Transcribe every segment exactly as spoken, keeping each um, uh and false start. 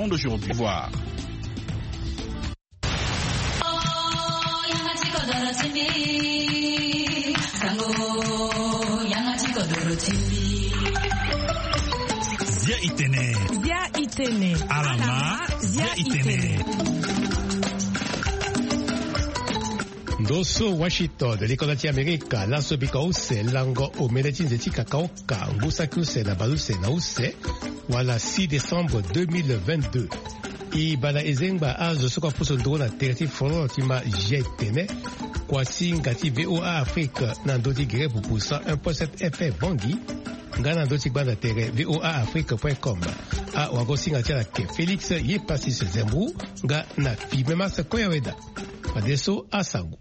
Aujourd'hui, voir. Zia itene. Zia itene. Alama. Zia itene. Ndo so Washington, likonda ti Amerika, laso bika use lango omene ti nze ti kakaoka, ngu saki use na baleuse na use, wala six décembre deux mille vingt-deux. E banda ezengba azo so kue apusu nduru na tere ti folon ti ma Zia itene, kuasinga ti V O A Afrique na ndö ti gere pupu cent un point sept F M Bangui, nga na ndö ti gbanda tere V O A Afrique point com. Awagosinga ti ala ke Félix Yepasis Zembou, nga na Fimemas Koyaweda. Fadeso asango.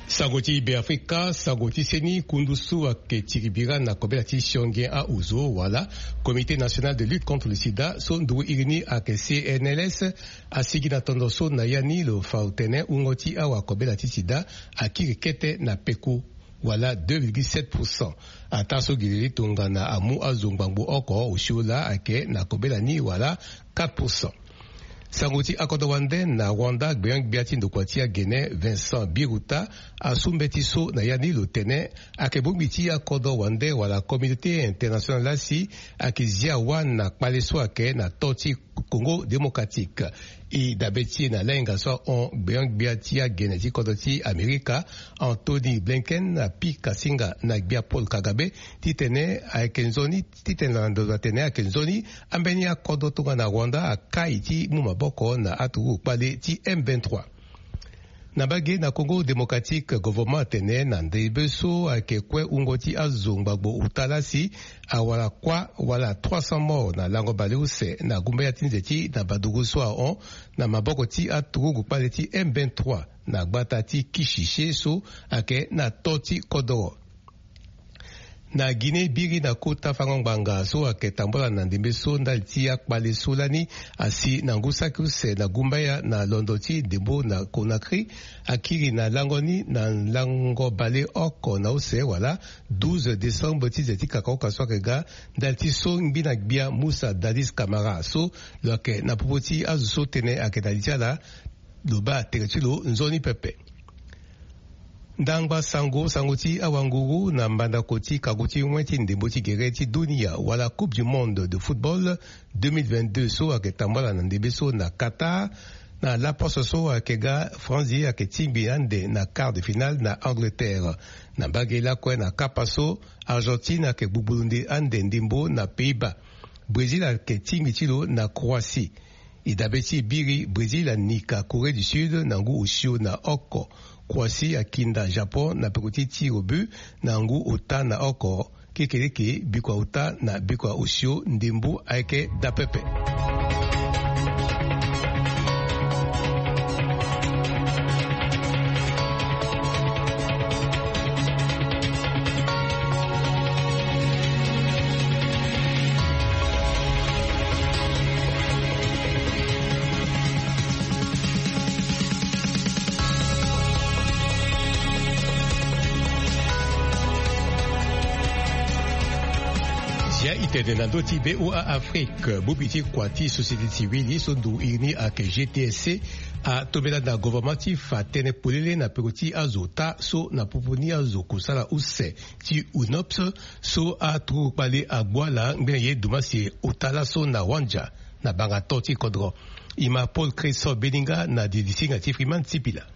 Sango ti Beafrika, sango ti seni, kundu so ayeke tiri bira na kobela ti sionge ahuzo wala Comité National de Lutte contre le Sida, so nduru iri ni ayeke C N L S, asigi na tondo so na ya ni lo fa tene wungo ti awakobela ti sida akiri kete na peku, wala deux virgule sept pour cent. Ataa so gi lili tongana amu azo ngbangbo oko osio laa ayeke na kobela ni wala quatre pour cent. Sango ti akodro wande na Rwanda, gbenyo-gbia ti ndokua ti agene Vincent Biruta asu mbeti so na ya ni lo tene ayeke bongbi ti akodro wande wala communauté internationale laa si ayeke zia wâ na kpale so ayeke na to ti Congo Démocratique. E dabe ti e na lahinga so ahon gbenyo-gbia ti agene ti kodro ti Amerika, Anthony Blinken, apika singa na gbia Paul Kagame titene ayeke nzoni, titene na ndo atene ayeke nzoni ambeni akodro tongana Rwanda akai ti mu maboko na aturugu kpale ti M vingt-trois. Na mbage na Congo Démocratique, gouvernement atene na ndembe so ayeke kue wungo ti azo ngbangbo ota laa si awara kuâ wala trois cents morts na lango baleuse na gumbaya ti nze ti na badugu so ahon na maboko ti aturugu kpale ti M vingt-trois na gbata ti Kishishe so ayeke na to ti kodoro. Na Guinée, biri na kota fango ngbanga so ayeke tambula na ndembe so ndali ti akpale so lani asi na ngu saki use na gumbaya na londo ti ndembo na Conakry akiri na lango ni na lango bale oko na use wala douze décembre ti nze ti kakaoka so ayeke ga, ndali ti so ngbi na gbia Moussa Dadis Camara so lo yeke na popo ti azo so tënë ayeke na li ti ala, lo baa tere ti lo nzoni pepe. Ndangba sango, sango ti awanguru na mbandako ti kago ti wen ti ndembo ti gere ti dunia wala Coupe du Monde de football deux mille vingt-deux so ayeke tambala na ndembe so na Qatar, na laposo so ayeke ga, Franzi ayeke tingbi ande na quart de finale na Angleterre. Na mbage lakue na kapa so, Argentine ayeke gbugbulu nde ande ndembo na Pays-Bas. Brésil ayeke tingbi ti lo na Croatie. E dabe ti e biri, Brésil anika Corée du Sud na ngu osio na oko. Croatie akinda Japon na peko ti tir au but na ngu ota na oko. Kekeleke, bikua ota na bikua osio, ndembo ayeke daa pepe. Zia itene na ndö ti V O A Afrique, bongbi ti kua ti société civile so nduru iri ni ayeke G T S C, atombela na gouvernement ti fa tënë polele na peko ti azo ota so na popo ni azo kusala use ti UNOPS, so aturugu kpale agbu ala ngbene ye dumasie ota laso na Wandia, na banga to ti kodro. E ma Paul Christophe Beninga na didi singa ti Freeman Sipila.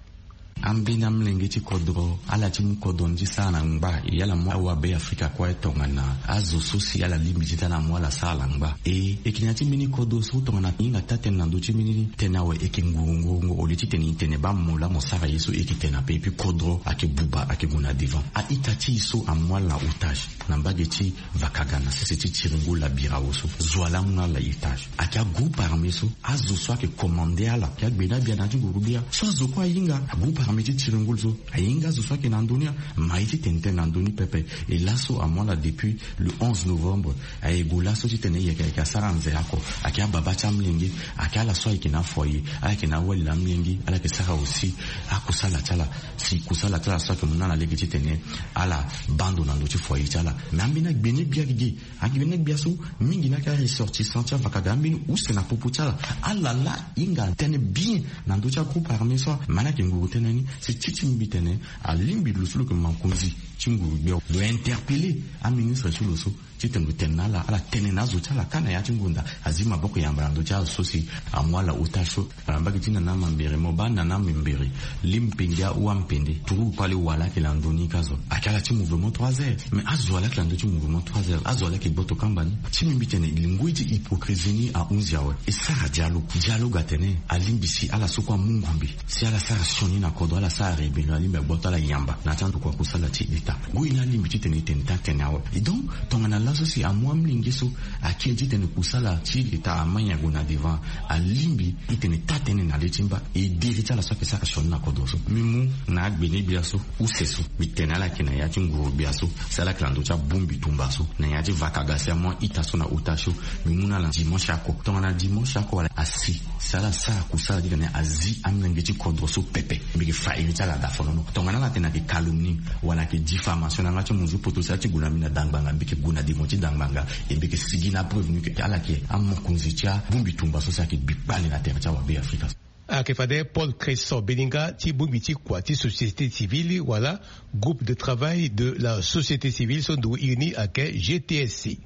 Ambeni amolenge ti kodro, ala ti mu kodro ni ti sara na ngba, e ala mu awabe Afrika kue tongana azo so si ala lingbi titene amu ala sara na ngba. E, e yeke na ya ti mbeni kodro so tongana e hinga taa-tënë na ndö ti mbeni tënë awe, e yeke ngurungu au lieu titene e tene baa mo laa mo sara ye so, e yeke tene ape. Et puis kodro ayeke buba, ayeke gue na devant. A-ita ti e so amu ala na otage na mbage ti Vakaga na sese ti Tiringo, Labirao so, zo wa laa amu na ala na otage. Ayeke agroupe armé so, azo so ayeke commande ala, ayeke agbena gbia na ya ti nguru gbia. So azo kue ahinga, agroupe Mbi ti tiri ngulu so ahinga azo so ayeke na ndö ni, ma ye ti tene tënë na ndö ni pepe. E laso amu ala depuis le onze novembre. Aye gue laso titene yeke ayeke asara nze oko. Ayeke ababa ti amolenge, ayeke ala so ayeke na afoyer, ala yeke na awali na amolenge, ala yeke sara aussi akusala ti ala. Si kusala ti ala so ayeke mu na ala lege titene ala baa ndo na ndö ti foyer ti ala. Mais ambeni agbe ni gbia gigi, agbe ni gbia so mingi ni ayeke aressortissant ti avakaga, ambeni use na popo ti ala. Ala laa hinga tënë bien na ndö ti agroupe armé so. Ma ni ayeke nguru tënë ni, si ti ti mbi tene alingbi lo so lo yeke mokonzi ti nguru gbia lo interpeller aministre ti lo so titene lo tene na ala, ala tene na azo ti ala kâ na ya ti ngonda. Azi maboko yamba na ndö ti azo so si amu ala otage so. Ala mbage ti nana mambere, mo baa nana mambere, li mpende awa mpende turu kpale wala ayeke na ndö ni ka zo. Ayeke ala ti mouvement trois heures, mais azo ala yeke na ndö ti mouvement trois heures, azo ala yeke gboto kamba ni. Ti mbi mbi tene ngoi ti hypocrisie ni ahunzi awe. E sara dialogue, dialogue atene alingbi si ala so kue amu ngombe, si ala sara sioni na kodro, ala sara rébellion, alingbi agboto ala yamba na ya ti andokua kusala ti leta. Ngoi ni alingbi titene e tene taa tënë awe. Et donc tongana laso si amu amolenge so akiri titene kusala ti leta amai ague na devant, alingbi titene taa tënë na le ti mba. E diri ti ala so ayeke sara sioni na kodro so. Mbi mu na agbe ni gbia so, use so, mbi tene ala yeke na ya ti nguru gbia so, si ala yeke na ndö ti abongbi tumba so, na ya ti vakaga si amu a-ita so na otage so. Mbi mu na ala dimanche oko. Tongana dimanche oko wala asi, si ala sara kusala titene azi amolenge ti kodro so pepe. Mbi yeke fa iri ti ala daa fonono. Tongana ala tene ayeke calomnie wala ayeke diffamation na yanga ti munzu poto, si ala ti gue na mbi na dangbanga, mbi yeke gue na devant ti dangbanga. E mbi yeke sigi na apreuve ni ke ala yeke amokonzi ti abongbi tumba so si ayeke gbi kpale na tere ti awabe afrika. Ayeke fade Paul Cresson Beninga ti bongbi ti kua ti société civile wala groupe de travail de la société civile so ndo iri ni ayeke G T S C. E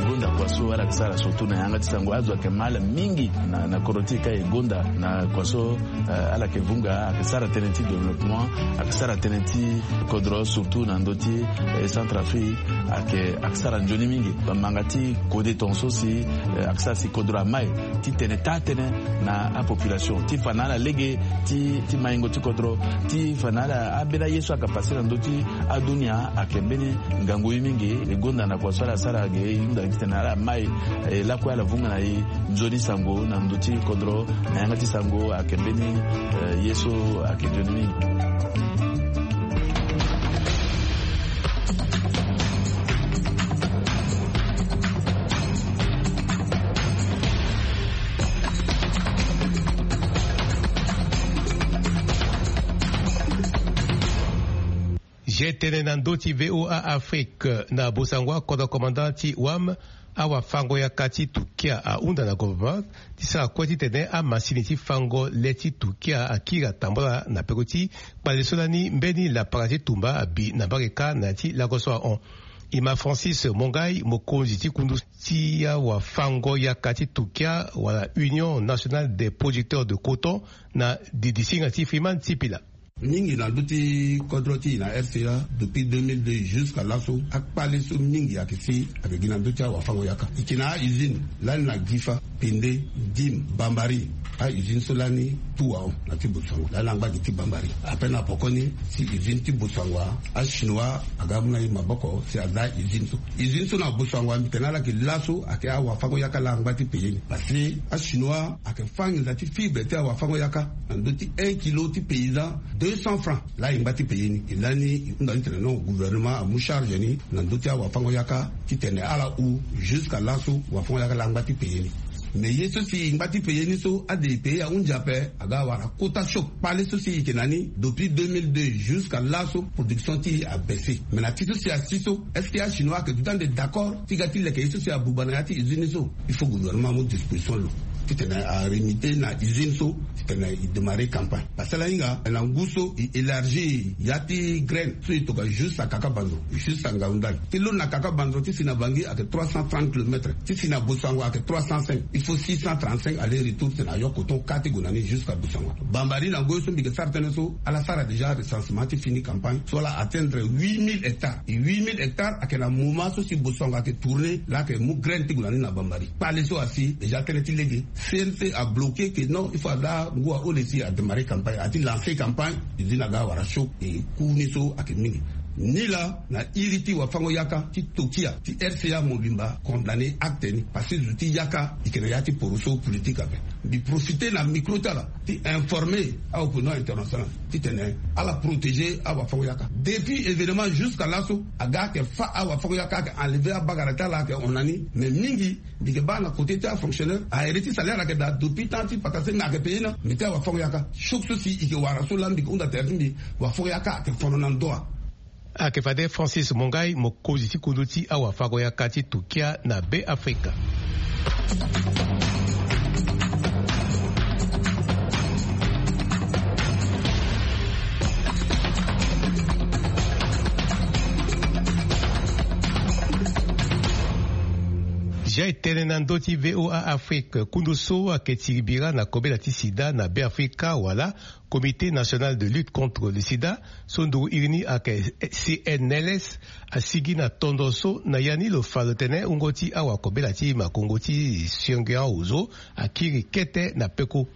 gonda kua so ala yeke sara surtout na yanga ti sango. Azo ayeke ma ala mingi na, na kodro ti e ka e gonda na kua so, eh, ala yeke vunga, ayeke sara tënë ti développement, ayeke sara tënë ti kodro surtout na ndö ti, eh, Centrafrique, ayeke, ayeke sara nzoni mingi. Bamanga ti kode tongaso si, eh, ayeke sara si kodro amai titene taa tënë na apopulation, ti fa na ala lege ti, ti maingo ti kodro, ti fa na ala ambeni aye so ayeke pase na ndö ti adunia ayeke mbeni ngangu ye mingi. E gonda na kua so ala sara ge, e hunda titene ala mai, eh, lakue ala vunga na e nzoni sango na ndö ti kodro, na yanga ti sango ayeke mbeni, eh, ye so ayeke nzoni mingi. Ge tene na ndö ti V O A Afrique na bosango akodro commandant ti wam, awafango-yaka ti Turquia ahunda na gouvernement ti sara kue titene amasini ti fango le ti Turquia akiri atambula na peko ti kpale so lani mbeni lapara ti tumba abi na mbage kâ na ya ti lago so ahon. E ma Francis Mongai, mokonzi ti kundu ti awafango-yaka ti Turquia wala Union Nationale des Producteurs de Coton, na didisinga ti Freeman Sipila. Mingi na ndö ti kodro ti e na R C A, depuis deux mille deux jusqu'à laso, akpale so mingi ayeke si ayeke gi na ndö ti awafango-yaka. E yeke na a-usine lani na Gifa, Pende, Dim, Bambari. A-usine so lani tout ahon na ti Botswana, lani angba gi ti Bambari. Ape na pokoni si usine ti Botswana, a-Chinois aga amu na e maboko si aza usine so. Usine so na Botswana, mbi tene ala yeke laso ayeke awafango-yaka laa angba ti payer ni. Parce que a-Chinois ayeke fâ nginza ti fibre ti awafango-yaka na ndö ti un kilo ti paysan deux cents francs. Laa e ngba ti payer ni. E lani e hunda ni tene non, gouvernement amu charge ni na ndö ti awafango-yaka titene ala hu jusqu'à laso wafango-yaka laa angba ti payer ni. Mais ye so si e ngba ti payer ni so, ade e payer ahunzi ape, aga awara quota choc. Kpale so si e yeke na ni depuis deux mille deux jusqu'à laso, production ti e abaisse. Mais na ti so si asi so, est-ce que a-Chinois ayeke duti ande d'accord ti ga ti leke ye so si abuba na ya ti usine ni so? Il faut gouvernement amu disposition lo titene a remettre na usine so titene e démarrer campagne. Parce que ala hinga na ngu so e élargir ya ti graine so e tokua juste à Kakabanzo, juste à Ngaoundal. Ti lo na Kakabanzo ti si na Bangui ayeke trois cent trente kilomètres, ti si na Bosango ayeke trois cent cinq. Il faut six cent trente-cinq aller-retour titene ayo coton kâ ti gue na ni jusqu'à Bosango. Bambari na ngoi so mbi yeke sara tënë so, ala sara déjà recensement ti fini campagne so ala atteindre huit mille hectares. E huit mille hectares ayeke na moment so si Bosango ayeke tourner, laa ayeke mu graine ti gue na ni na Bambari. Kpale so asi déjà tënë ti lege. C N C a bloqué que non, il faut ala ngu ahon le si a démarrer campagne, a ti lancer campagne. Usine aga awara choc, e coût ni so ayeke mingi. Ni laa na iri ti wafango-yaka ti tokia ti R C A mobimba condamné acte ni parce que zo ti yaka eke na ya ti poroso politique ape. Mbi profité na micro ti ala ti informer aopinion internationale titene ala protéger awafango-yaka. Depuis événement jusqu'à laso aga ake fa awafango-yaka ake enlever abagara ti ala ake hon na ni mais mingi mbi ke baa na côté ti afonctionnaire ahere ti salaire ake daa depuis temps ti patasenga ake payé na mbi ti awafango-yaka. Choc so si eke wara so laa mbi ke hunda tere ti mbi wafango-yaka ake fono na ndoa. Ake fade Francis Mongai mokonzi ti kundu ti awafango-yaka ti tokia na Be Afrika. Zia e tene na ndö ti V O A Afrique kundu so ake tiri bira na kobela ti sida na Be Afrika wala Comité national de lutte contre le sida so nduru iri ni ake C N L S asigi na tondo so na ya ni lo fa lo tene wungo ti awakobela ti makongo ti siange aozo akiri kete na peko.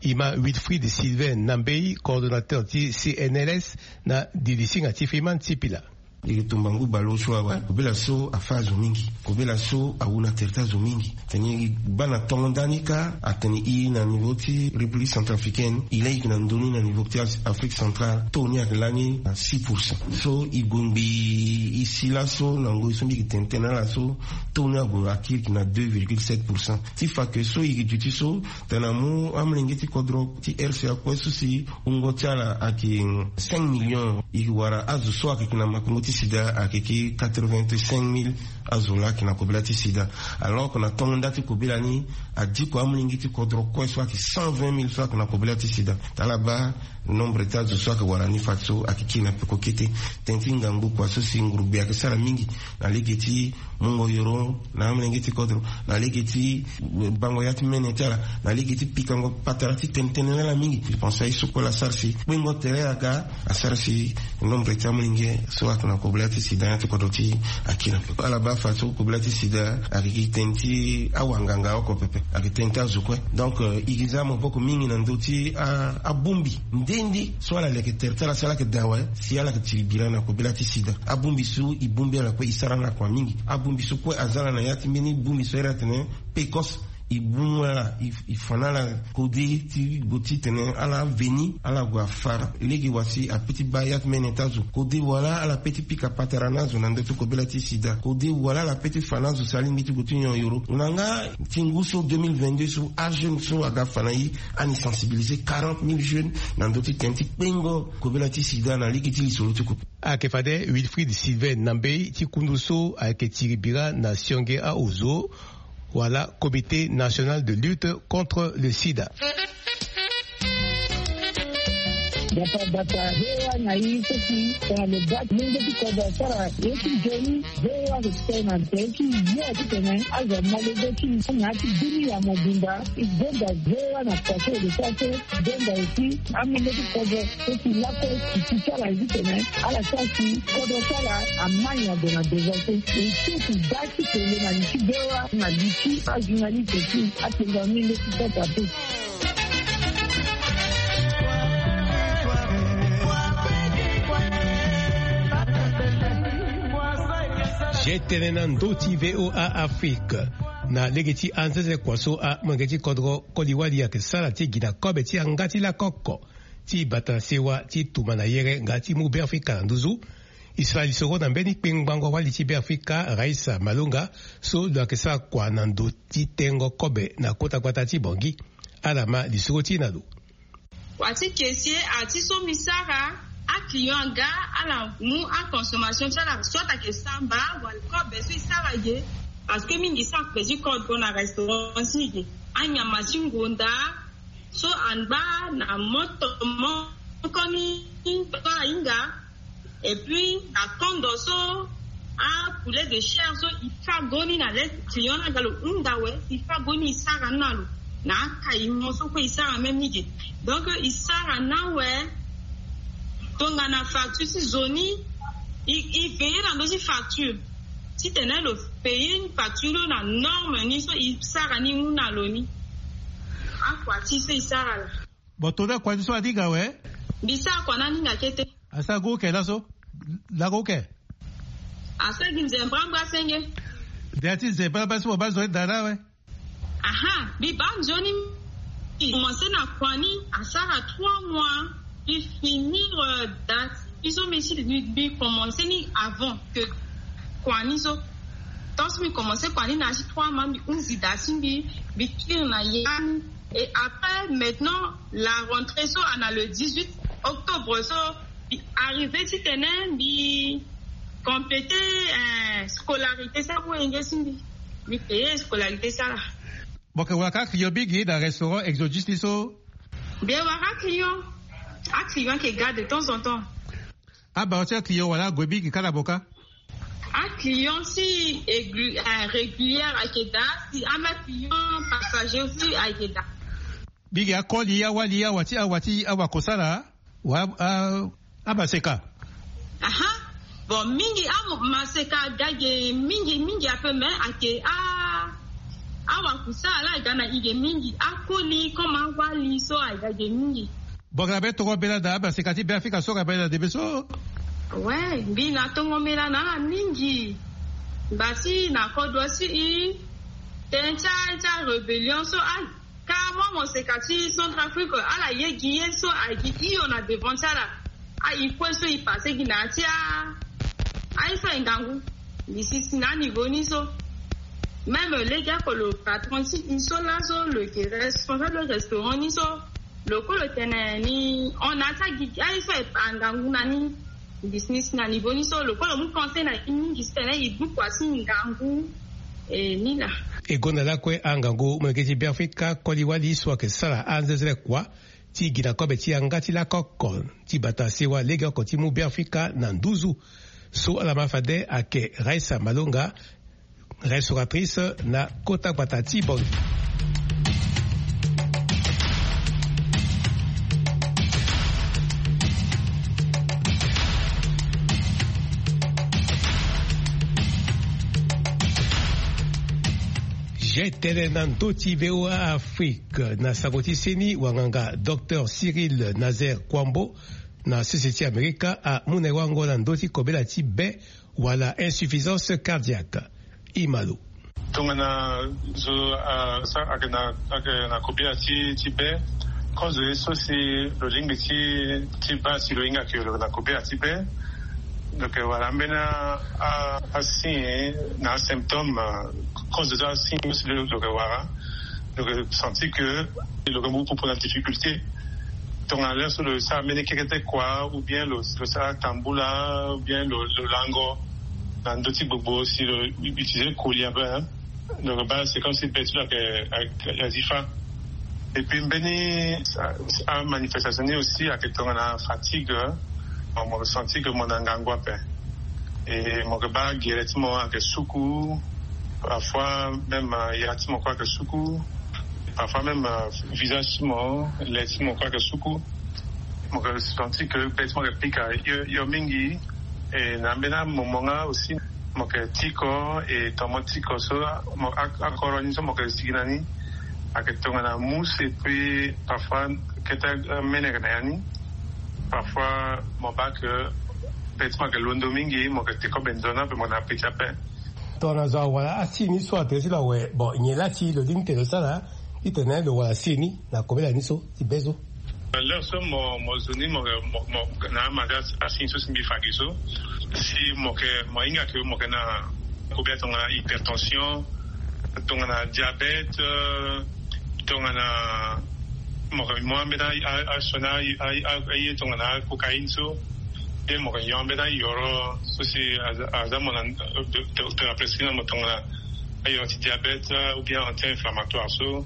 Ima Wilfried Sylvain Nambei, coordonnateur ti C N L S, na dilisinga ti Freeman Sipila. Iri tumba ngu baleosio awe kobela so afa azo mingi. Kobela so awu na tere ti azo mingi. Tene i baa na tongo ndani kâ atene i na niveau ti République centrafricaine i laa i yeke na ndoni na niveau ti Afrique centrale taux ni ayeke lani na six pour cent. So i gue ngbii i si laso na ngoi so mbi yeke tene tënë ala so taux ni ague akiri yeke na deux virgule sept pour cent. Ti fa ke so i yeke duti so tene amu amolenge ti kodro ti R C A kue so si wungo ti ala ayeke cinq millions i wara azo so ayeke na makongo ti sida ayeke quatre-vingt-cinq mille. Azo laa ayeke na kobela ti sida. Alors que na tongo nda ti kobela ni adiko amolenge ti kodro kue so ayeke cent vingt mille so ayeke na kobela ti sida. Tala baa nombre ti azo so ayeke wara ni fadeso ayeke kiri na peko kete. Tënë ti ngangu kua so si ngurugbe ayeke sara mingi na lege ti mungo yoro na amolenge ti kodro na lege ti bango ya ti mene ti ala na lege ti pikango patara ti tene tënë na ala mingi. Je pense aye so kue laa asara si kpengo tere aga asara si nombre ti amolenge so ayeke na kobela ti sida ya ti kodro ti akiri na peko. Ala baa fadeso kobela ti sida ayeke gi tënë ti awanganga oko pepe. Ayeke tënë ti azo kue. Donc i gi za maboko mingi na ndö ti abongbi nde nde so ala leke tere ti ala si ala yeke daa awe si ala yeke tiri bira na kobela ti sida. Abongbi so i bongbi ala kue i sara na kua mingi. Abongbi so kue aza ala na ya ti mbeni bongbi so ere atene pekos. I bongbi ala i fa na ala kode ti gue titene ala aveni ala gue afa lege wa si ape ti baa ya ti mene ti azo kode wala ala pe ti pika patara na azo na ndö ti kobela ti sida kode wala ala pe ti fa na azo si alingbi ti gue ti nyon yoro. Na nga ti ngu so deux mille vingt-deux so ajeune so aga fa na i ani sensibiliser quarante mille jeunes na ndö ti tene ti kpengo kobela ti sida na lege ti lisoro ti kope. Ayeke fade Wilfried Sylvain Nambei ti kundu so ayeke tiri bira na sionge aozo wala Comité national de lutte contre le sida. Dapa dapa hewa na i so si tongana lo baa ti lenge ti kodro asara ye ti nzoni. Hewa lo tene na tere ti yo titene azo amolenge ti na ya ti dunia mobimba. I gbonga hewa na pase lo sara so gbonga aussi amolenge ti kodro so si lakue ti ti ti ala ye titene ala sara si kodro ti ala amai na gue na devance. E so ti baa ti kele na li ti hewa na li ti ajournaliste ti atenga amolenge ti kota pe. Zia e tene na ndö ti V O A Afrique na lege ti anzenze kua so amolenge ti kodro koli-wali ayeke sara ti gi na kobe ti yanga ti lakoko ti bata na sewa ti tuma na yere nga ti mu Beafrika na nduzu. E sara lisoro na mbeni kpengbango wali ti Beafrika Raissa Malonga so lo yeke sara kua na ndo ti tengo kobe na kota gbata ti Bangui. Ala ma lisoro ti e na lo. Kua ti kese a ti so mbi sara aclient aga ala mu aconsommation ti ala soit ayeke samba wala kobe so e sara ge. Parce que mingi so akpe ti kodro na restaurant ti e ge anyama ti ngonda so angba na moto moko ni to ahinga. Et puis na kondo so apoulet de chair so e fa goni na lait client ni aga lo hunda awe e fa goni e sara ni na lo na akaimo so kue e sara même ni ge. Donc e sara ni awe. Tongana facture ti zo ni e veiller na ndö ti facture titene lo payer facture ni na norme ni so e sara ni mu na lo ni. Akua ti so e sara la. Bon tongana akua ti so aninga awe. Mbi sara kua ni aninga kete. Asara groupe kena so. Lago ke. Asara gi nzembra mbra senge. De ati nzembra mbra si mo baa nzoni dara we. Aha, mbi baa nzoni. Mbi commencé na kua ni asara trois mois. Mbi finir, euh, date. Mbi so mbi si mbi commencé ni avant que kua ni so. Tant si mbi commencé kua ni na asi trois mois, mbi hunzi date si mbi, mbi kiri na ya ni. Et après, maintenant, la rentrée so ana le dix-huit octobre so, mbi arrivé titene mbi complété, euh, scolarité so, wenge si mbi, mbi payé scolarité so laa. Mo yeke wara kâ client mingi na restaurant Exodus ni so? Mbi wara client. Aclient ayeke ga de temps en temps. Abaro ti aclient wala ague mingi kâ na mo kâ? Aclient si aigu-, euh, régulière ayeke daa, si amaclient passager aussi ayeke daa. Mingi akoli, awali, awa ti, awa ti, awa kosala. Wa, a, amaseka. Aha. Bon, mingi amaseka aga ge mingi, mingi ape, mais ayeke a, awakusala laa aga na e ge mingi. Akoli comme awali so aga ge mingi. Bon, ga na be tongo mbela na amaseka ti Beafrika so, ga na be na ndembe so? Ouais, mbi na tongo mbela na ala mingi. Ngba ti na kodro ti e, tënë ti a, ti arébellion so, a, Ka mo, mo seka ti Centrafrique, ala ye gi ye so, a gi hio na devant ti ala. A, e kue so e passé gi na ya ti a, aye so aye ngangu. Mbi si si na aniveau ni so. Même lege oko lo patron ti e so laso, lo yeke responsable restaurant ni so, lo kue lo tene ni hon na ya ti agi, aye so aye ngangu na ni. Mbi si ni si na niveau ni so, lo kue lo mu pensé na e mingi si tene e duku asi ngangu, e, ni laa. E gonda lakue angangu molenge ti Beafrika koli wali so ayeke sara anzenzele kua ti gi na kobe ti yanga ti lakoko ti bata sewa legeoko ti mu Beafrika na nduzu. So ala ma fade ayeke Raissa Malonga, restauratrice na kota gbata ti Bangui. Je tene na ndö ti V O A Afrique, na sango ti seni, wanganga Docteur Cyril Nazaire Kouambo, na sese ti Amerika, amu na e wango na ndö ti kobela ti be wala insuffisance cardiaque. Imalo. Tongana zo, ah, sa, ayeke na, ayeke na kobela ti, ti be, kozo ye so si lo lingbi ti, ti baa si lo hinga ke lo na kobela ti be. Donc, eh, wala ambeni a, a, asigne na asymptôme, ah, kozo so asigne so si lo, lo yeke wara. Lo yeke senti ke lo yeke mu popo na difficulté. Tongana lere so lo sara mbeni kekete kua, ou bien lo, lo sara tambula, ou bien lo, lo lango na ndö ti gbogbo si lo utiliser koli ape, hein. Donc, baa, c'est comme si be ti lo ayeke, ayeke, azi fâ. Et puis, mbeni a, amanifestation ni aussi ayeke tongana fatigue, hein. Bon, mo senti ke mo na ngangu ape. Et mo yeke baa gere ti mo ayeke suku. Parfois même, euh, ya ti mo kue ayeke suku. Parfois même, euh, visage ti mo, le ti mo kue ayeke suku. Mo yeke senti ke be ti mo ayeke pika hio, hio mingi. E na ambeni amomo nga aussi, mo yeke tiko, e tongana mo tiko so, mo, a, akoro ni so mo yeke sigi na ni ayeke tongana mousse, et puis parfois kete, euh, mene ayeke na ya ni. Parfois mo baa ke be ti mo ayeke londo mingi, mo yeke te kobe nzoni ape, mo na appétit ape. Tongana zo awara asi ni so, atere ti lo awe, bon, nyen la ti lo lingbi ti lo sara titene lo wara si ni na kobela ni so ti be so? Lere so mo, mo zo ni, mo, mo, mo na amaza asi ni so si mbi fa gi so, si mo yeke, mo hinga ke mo yeke na kobela tongana hypertension, tongana diabète, euh, tongana mo yeke mu ambeni a, a, asioni a, a, a, aye tongana acocaïne so. Pe mo yeke yo ambeni ayoro so si aza, aza mo na, euh, do-, docteur aprescrit na mo tongana ayoro ti diabète, euh, ou bien anti-inflammatoire so.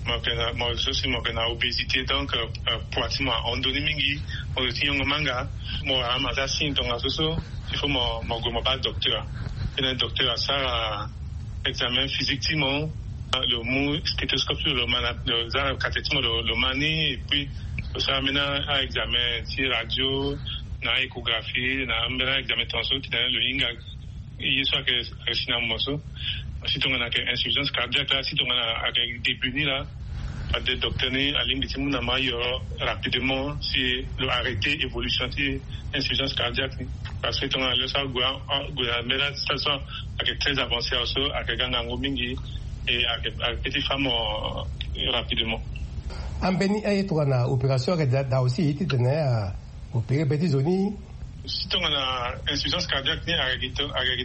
Mo yeke na, mo so si mo yeke na obésité, donc, euh, euh, poids ti mo ahon ndoni mingi. Mo zo ti nyongo manga, mo wara amaza signe tongana so so, il faut mo, mo gue mo baa docteur. Titene docteur asara examen physique ti mo, lo mu stéthoscope ti lo, lo ma na, lo za na kate ti mo, lo, lo ma ni, et puis lo sara ambeni a-examen ti radio, na échographie, na ambeni a-examen tongaso, titene lo hinga ye so ayeke, ayeke si na mo so. Si tongana ayeke insuffisance cardiaque laa, si tongana ayeke début ni laa, Ade docteur ni alingbi ti mu na ma yoro rapidement si lo arrêter évolution ti insuffisance cardiaque ni. Parce que tongana lo so ague ambela ti station ake très avancé aso, ake ga ngangu mingi. Et ake ake ti femme rapidement. Ambeni aye tongana opération ake daa aussi titene opéré be ti zo ni. Si tongana insuffisance cardiaque ni ake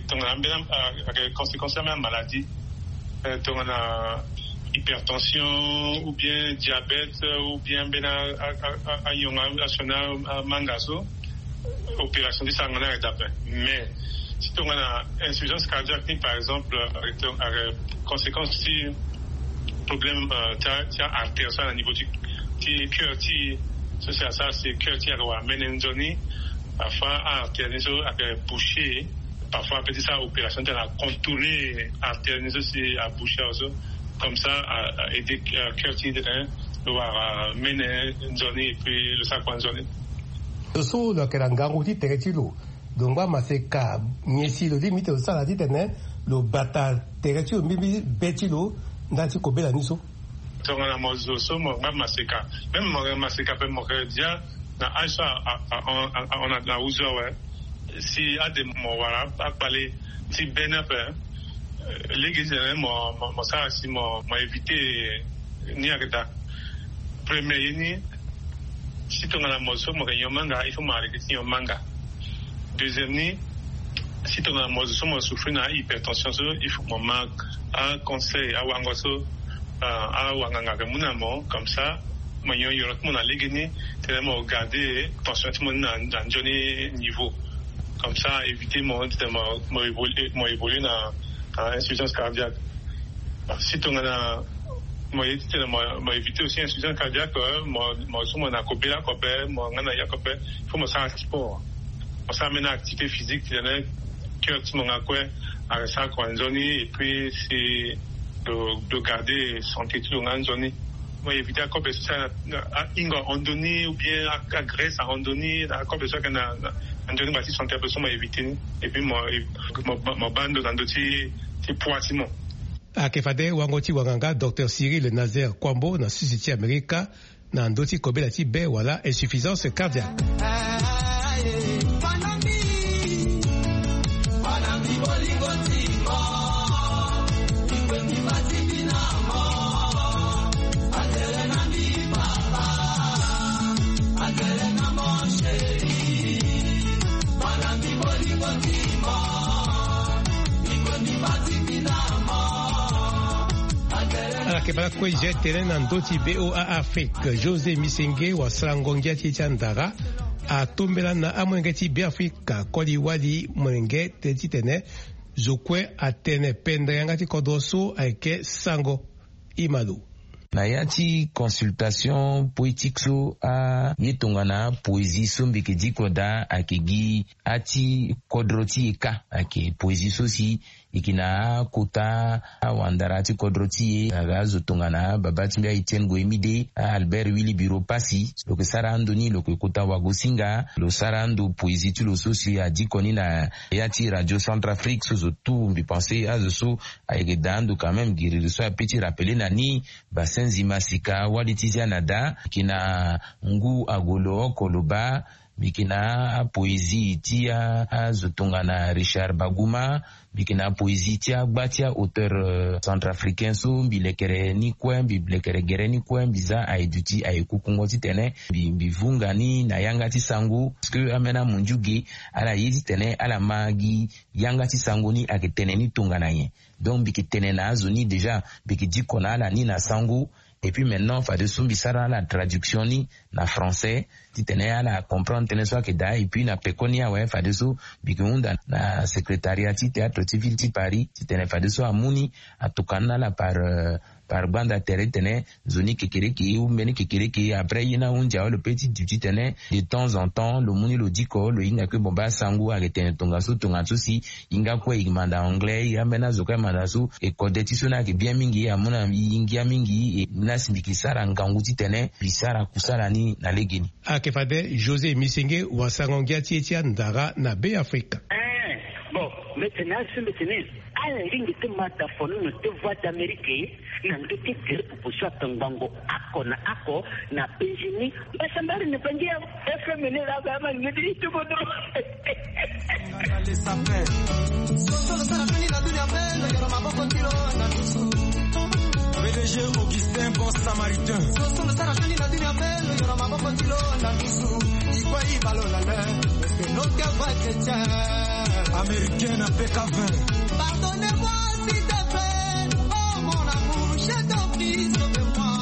tongana ambeni ake conséquence ambeni maladie, tongana hypertension ou bien diabète ou bien ambeni anyonga asioni amanga so, opération ti sara ngana ake daa ape. Mais si tongana insuffisance cardiaque ni par exemple ake conséquence ti problème ti artère so na niveau ti cœur ti so si asara si cœur ti ake wara mene nzoni. Parfois artère ni so ake boucher. Parfois ape ti sara opération ti ala contourner artère ni so si aboucher awe so. Comme ça a aider cœur ti tene lo wara mene nzoni et puis lo sara kua nzoni. Lo so lo yeke na ngangu ti tere ti lo, lo ngba maseka nyen si lo lingbi ti lo sara titene lo bata tere ti lo mbimbi be ti lo ndali ti kobela ni so? Tongana mo zo so mo ngba maseka, même mo yeke maseka ape mo yeke dia na age so ahon na na huzo awe. Si ade mo wara akpale ti be ni ape, lege ti tene mo sara si mo éviter ni ake daa. Premier ye ni, si tongana mo zo so mo yeke nyon manga il faut mo arrêter ti nyon manga. Deuxième ni, si tongana mo zo so mo souffrir na ahypertension so il faut mo ma aconseil awango so awanganga ayeke mu na mo comme ça mo nyon yoro ti mo na lege ni. Tene mo garder tension ti mo ni na nzoni niveau. Comme ça éviter mo titene mo évoluer na insuffisance cardiaque. Si tongana mo ye titene mo éviter aussi insuffisance cardiaque, mo so mo na kobela kope mo nga na ya kope, il faut mo sara sport, mo sara mena activité physique titene cœur ti mo nga kue ake sara kua nzoni et puis si lo garder santé ti lo nga nzoni. Mo éviter akobe so si ahingo ahon ndoni ou bien agraisse ahon ndoni akobe so ayeke na nzoni ngba ti santé ape so mo éviter ni. Et puis mo baa ndo na ndö ti poids ti mo. Ayeke fade wango ti wanganga docteur Cyril Nazaire Kuambo na sudi ti Amerika na ndö ti kobela ti be wala insuffisance cardiaque. Ala yeke baa lakue je tene na ndö ti VOA Afrique. José Misenge wasarango ngia ti e ti andara atombela na amolenge ti Beafrika koli wali molenge tene titene zo kue atene pendere yanga ti kodro so ayeke sango. Imalo. Na ya ti consultation poétique so aye tongana poésie so mbi yeke diko daa ayeke gi ati kodro ti e kâ. Ayeke poésie so si e yeke na akota awandara ti kodro ti e aga azo tongana baba ti mbi aEtienne Goemide, aAlbert Willy Biro Passy. Lo yeke sara ando ni lo yeke kota wagosinga lo sara ando poésie ti lo so si adiko ni na ya ti Radio Centrafrique so zo tout mbi pense azo so ayeke daa ando quand même giriri so ape ti rappeler na ni. Basenzi masika wali ti zia na daa mbi yeke na ngu agolo oko lo baa. Mbi yeke na apoésie ti azo tongana Richard Baguma. Mbi yeke na apoésie ti agba ti aauteur centrafricain so mbi lekere ni kue mbi lekere gere ni kue mbi za aye duti aye kukungo titene mbi vunga ni na yanga ti sango parce que ambeni amundiu ge ala ye titene ala ma gi yanga ti sango ni ayeke tene ni tongana nyen. Donc mbi yeke tene na azo ni déjà mbi yeke diko na ala ni na sango. Et puis maintenant fadeso mbi sara ala traduction ni na français titene ala comprendre tënë so ayeke daa. Et puis na pekoni awe fadeso mbi yeke hunda na secrétariat ti théâtre ti ville ti Paris titene fadeso amu ni atokua ni na ala par par gbanda tere titene nzoni kekereke ou mbeni kekereke après ye ni ahunzi awe lo pe ti duti titene de temps en temps lo mu ni lo diko lo hinga kue bon baa sango ayeke tene tongaso tongaso si. Hinga kue e manda anglais e ambeni azo kue e manda so e kode ti so ni ayeke bien mingi amu na e ngia mingi e ni asi mbi yeke sara ngangu titene mbi sara kusala ni na legeni. Ayeke fade José Misenge wasango ngia ti e ti andara na Beafrika. Bon, Tene asembe tene ala lingbi ti ma ta folono ti Voix d'Amérique na ndö ti gere pupu so atongbango oko na oko na Benjini. Mbasambari na bangi ya F M ni la ba ma ngedi ti bodo. Soso lo sara fini na dunia pe lo yoro maboko ti lo na dusu. P D G Augustin Bon Samaritain. Soso lo sara fini na dunia pe lo yoro maboko ti lo na dusu. Ikwa ibalo la le. Parce que no ke va chrétien. Américain na P K vingt. Pardonnez-moi s'il te plaît, oh mon amour, je t'en prie, sauve-moi.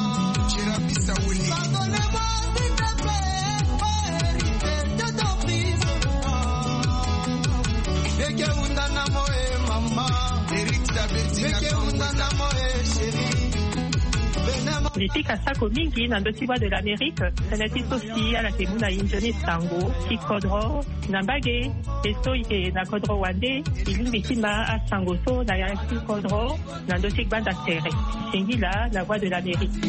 Pardonnez-moi s'il te plaît, oh héritier, je t'en prie, sauve-moi. Eke unda na mo e mama. Eric Sabeti. Eke unda na mo e chérie. Li pika sako mingi na ndö ti Voix de l'Amérique, tënë ti so si ala yeke mu na e nzoni sango ti kodro na mbage, e so e yeke na kodro wande, e lingbi ti ma asango so na yanga ti kodro na ndö ti gbanda tere. Singila na Voix de l'Amérique.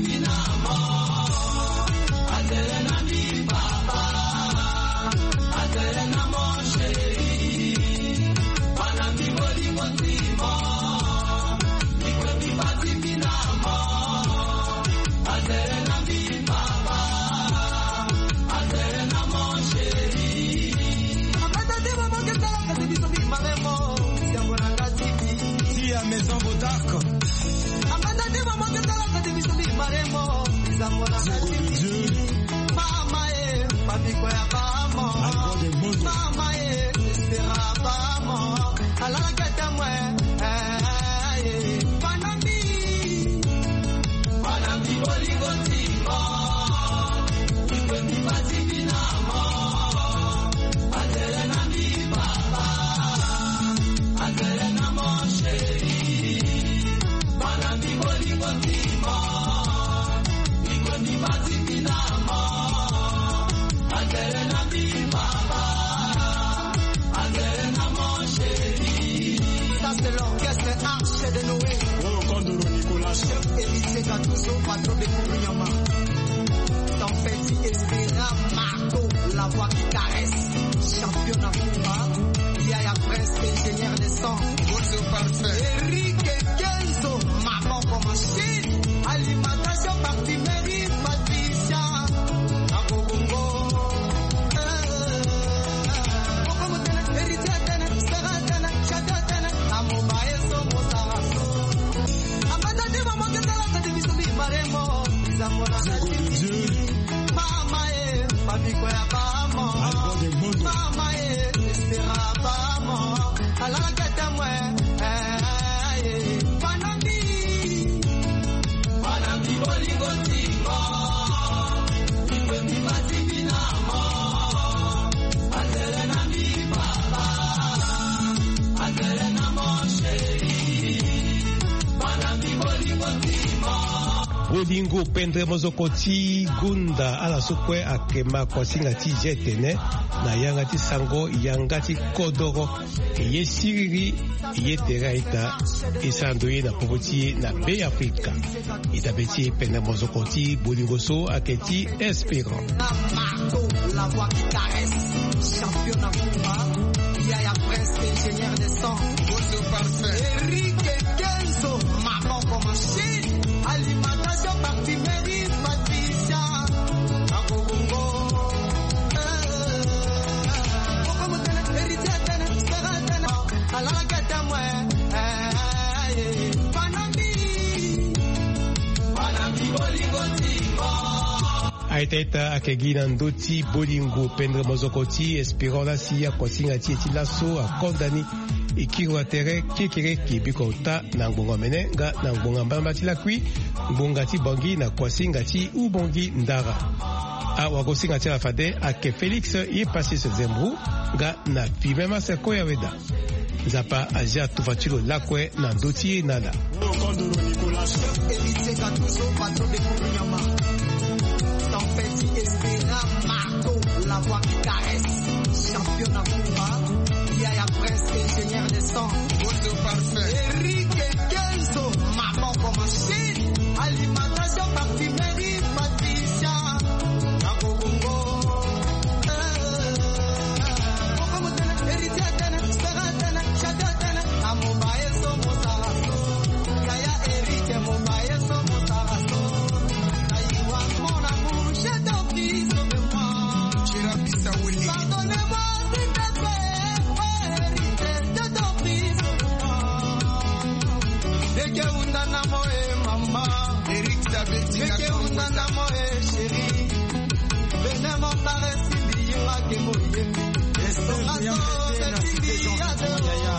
Tia Maison Bodark. Zingo de Dieu. Alpha de Mondo. Ça, c'est l'orchestre Arche de Noé. Oh, Kondoro Nicolas. Chef Héritier Gattuso, patron de Kourounyama. Tempête Espera Marco, la voix qui caresse. Champion na Kumba. Yaya Prince, ingénieur de son. Bonjour, parfait. Eric Kenzo, maman comme Chine. Alimentation, parfumerie, Patricia. Akobongo. Bolingo pendre mozoko ti gonda ala so kue ayeke ma kuasinga ti G T N na yanga ti sango yanga ti kodoro. E ye siriri, e ye tere a-ita, e sara ndo ye na popo ti e na Be Afrika. E dabe ti e pendre mozoko ti bolingo so ayeke ti Espérant. Champion na Kumba, Yaya Prince, ingénieur de son. Bonjour, parfait. Eric Kenzo, maman comme Chine. Alimentation, parfumerie, Patricia. Akobongo. Eh. Héritier Tene, Sera Tene. Alala kete mwe. Eh, eh, eh. Panami. Panami bolingo timo. A-ita-ita ayeke gi na ndö ti bolingo pendre mozoko ti Espérant la si akuasinga ti e ti laso akonda ni. E kiri wa tere kekereke biko ota na ngbonga omene nga na ngbonga mbalambala ti lakui, ngbonga ti Bangui na kuasinga ti Ubangui Ndara. Awagosinga ti ala fade ayeke Félix Yepasis Zembro nga na Fibe Masse Koyaweda. Nzapa azia tufa ti lo lakue na ndö ti e na ala. Héritier Gattuso, patron de Kourounyama. Tempête Espera Marco, la voix qui caresse. Champion na Kumba. Yaya Prince, ingénieur de son. Bonjour, parfait. Eric Kenzo, maman comme Chine. Alimentation, parfumerie, Patricia. Akobongo. Eh. Héritier Tene, Sera Tene, Chata Tene. Ke unda na mo e mama. Eric Sabeti. Ke unda na mo e chéri. Bene mo kare sindi yinga ke mo ye. Esonga so ke sindi ya de.